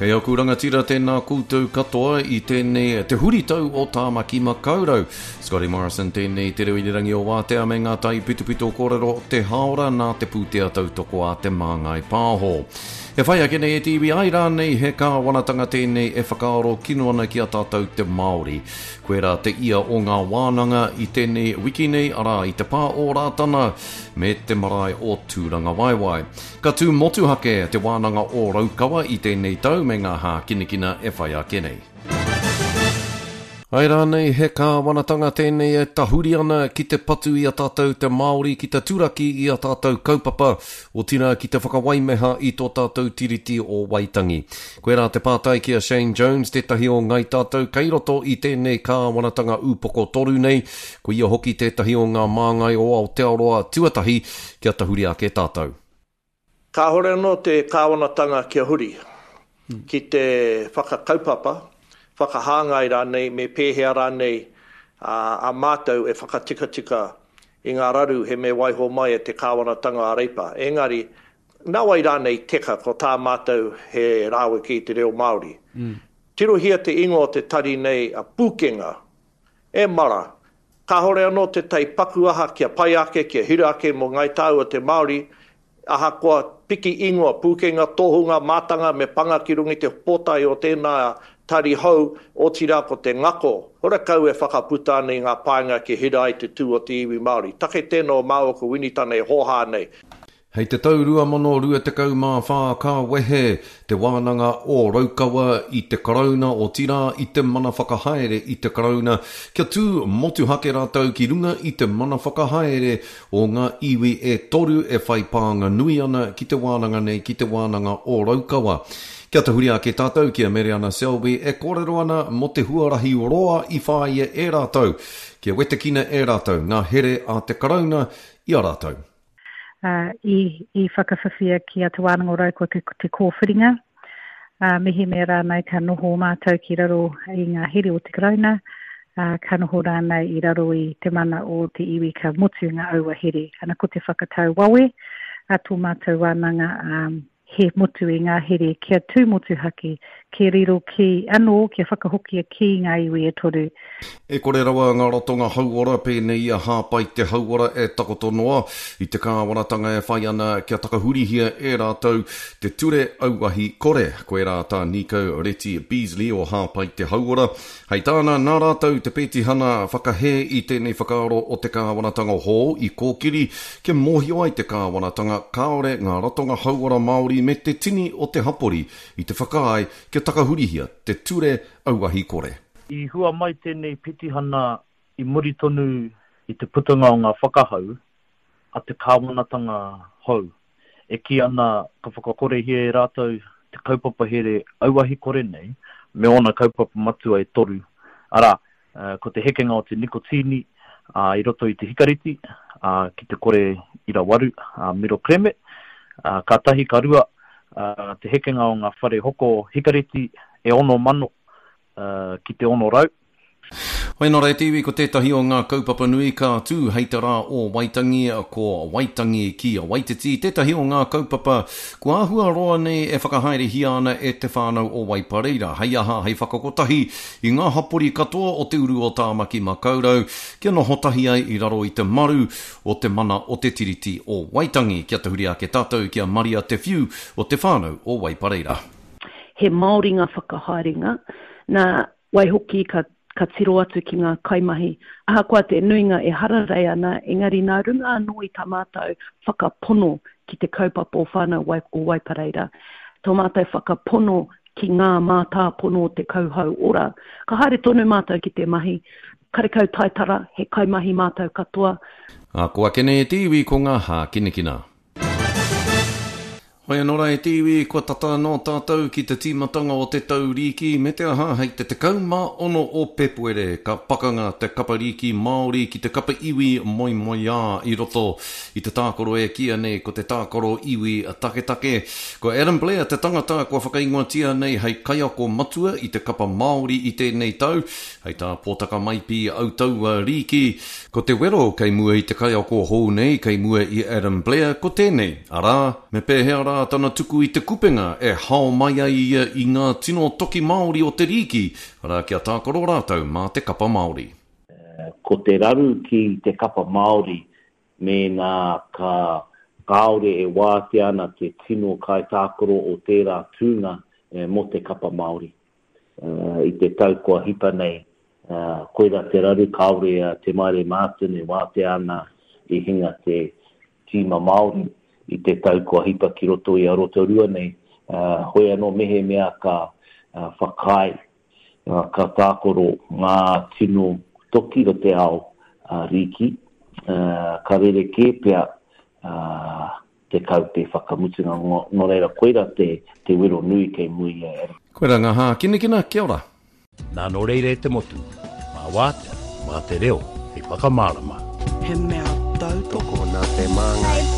Kei aku rangatira tēnā koutou katoa i tēnei te huritau o Tāmaki Makaurau. Scotty Morrison tēnei te reo irirangi o Wātea me ngā taipitopito kōrero o te hāora nā te pūtea tautoko a Te Māngai Pāho. E whai ake nei e te iwi ai rānei he kāwanatanga tēnei e whakaaro kino ana ki a tātou te Māori. Koirā te ia o ngā wānanga i tēnei wiki nei, arā, i te pā o Rātana me te marae o Tūrangawaewae. Ka tū motuhake Te Wānanga o Raukawa i tēnei tau me ngā hākinakina e whai ake nei. Āe rānei he kāwanatanga tēnei e tahuri ana ki te patu i a tātou te Māori, ki te turaki i a tātou kaupapa, otirā ki te whakawaimeha i tō tātou Tiriti o Waitangi? Koirā te pātai ki a Shane Jones, tētahi o ngai tātou kei roto i tēnei kāwanatanga upoko toru nei, ko ia hoki tētahi o ngā māngai o Aotearoa tuatahi kia tahuri ake tātou. Kāhore anō te kāwanatanga kia huri ki te whakakaupapa, whakahāngai rānei me pēhea rānei a mātou e whakatikatika i ngā raru he me waiho mai e te kāwanatanga a Reipa. Engari, nāwai rānei teka ko tā mātou he rāweke i te reo Māori. Tirohia te ingoa o te tari nei a Pūkenga. E mara, Kāhore anō tētahi paku aha kia pai ake, kia hira ake mō Ngāi Tāua te Māori, ahakoa piki ingoa, pūkenga, tohunga, mātanga me panga ki runga i te pōtae o tēnā tari hou, otirā ko te ngako, horekau e whakaputa ana i ngā painga kia hira ai te tū o te iwi Māori. Take tēnā o māua ko Winitana e hōhā nei. Hei te tau 2024 ka wehe Te Wānanga o Raukawa i te Karauna, otirā i te mana whakahaere i te Karauna, kia tū motuhake rātou ki runga i te mana whakahaere o ngā iwi e toru e whai pānga nui ana ki te wānanga nei, ki Te Wānanga o Raukawa. Kia tahuri ake tātou ki a Mereana Selby e kōrero ana mō te huarahi roa i whāia e rātou kia wetekina e rātou ngā here a te Karauna i a rātou. i, i whakawhiwhia ki a Te Wānanga o Raukawa te, te kōwhiringa, ā, mehemea rānei ka noho mātou ki raro i ngā here o te Karauna, ā, ka noho rānei i raro i te mana o te iwi ka motu ngā aua here. Ana ko te whakatau wawe a tō mātou wānanga, ā, he motu i ngā here kia tū motuhake, kia riro ki, anō, kia whakahokia ki ngā iwi e toru. E kore rawa ngā ratonga hauora pēnei i a Hāpai te Hauora e takoto noa i te kāwanatanga e whai ana kia takahurihia e rātou te ture auahi kore. Koirā tā Nīkau Reti Beazley o Hāpai te Hauora. Hei tāna, nā rātou te pētihana whakahē i tēnei whakaaro o te kāwanatanga hou i kōkiri kia mōhio ai te kāwanatanga kāore ngā ratonga hauora Māori me te tini o te hapori i te whakaae kia takahurihia te ture auahi kore. I hua mai tēnei petihana i muri tonu i te putanga o ngā whakahau a te kāwanatanga hou e kī ana ka whakakorehia e rātou te kaupapa here auahi kore nei me ōna kaupapa matua e toru, arā, ko te hekenga o te nikotīni i roto i te hikareti ki te kore ira waru, miro kreme, ka tahi, ka rua, te hekenga o ngā whare hoko hikareti e 6,000 ki te 600. Hoi nō reira te iwi ko tētahi o ngā kaupapa nui ka tū hei te rā o Waitangi, ko Waitangi ki Waititi tētahi o ngā kaupapa kua āhua roa nei e whakahaerehia ana e te whānau o Waipareira, hei aha, hei whakakotahi i ngā hapori katoa o te uru o Tāmaki Makaurau kia noho tahi ai i raro i te maru o te mana o te Tiriti o Waitangi. Kia tahuri ake tātou ki a Maria Te Whiu o te whānau o Waipareira. He Māori ngā whakahaerenga, nā, Waihoki ka, ka tiro atu ki ngā kaimahi, ahakoa te nuinga e hararei ana, engari nā runga anō i tā mātou whakapono ki te kaupapa o Whānau Wai, o Waipareira, tō mātou whakapono ki ngā mātāpono o te kauhau ora. Ka haere tonu mātou ki te mahi, karekau taitara, he kaimahi mātou katoa. Ā, ko ake nei e te iwi ko ngā hākinakina. Hoi anō rā e te iwi, kua tata anō tātou ki te tīmatanga o te tau rīki, me te aha hei te 16 o Pepuere ka pakanga te kapa rīki Māori ki te kapa iwi moemoeā i roto i te tākaro e kīia nei ko te tākaro iwi taketake. Ko Adam Blair te tangata kua whakaingoatia nei hei kaiako matua i te kapa Māori i tēnei tau, hei tā Pōtaka Maipi Autaua Rīki, Ko te wero kei mua i te kaiako hou nei, kei mua i Adam Blair, ko tēnei, arā, me pēhea rā rā tana tuku i te kupenga e hao mai ai ia i ngā tino toki Māori o te rīki, arā kia tākaro rātou mā te kapa Māori. Ko te raru ki te kapa Māori mēnā ka kāore e wātea ana te tino kaitākaro o tērā tūnga mō te kapa Māori. I te tau kua hipa nei, koira te raru kāore a Te Maire Martin e wātea ana i hinga te tīma Māori i te tau kua hipa ki roto i a Rotorua nei. Hoi anō mehemea ka whakaae, ka tākaro ngā tino toki o te ao rīki, ka rerekē pea te kaute whakamutunga, nō reira koira te te wero nui kei mua i a Adam. Koira nga hākinakina, kia ora. Nā nō reira e te motu, mā Wātea, mā te reo hei whakamārama. He mea tautoko. Tokona te māngai.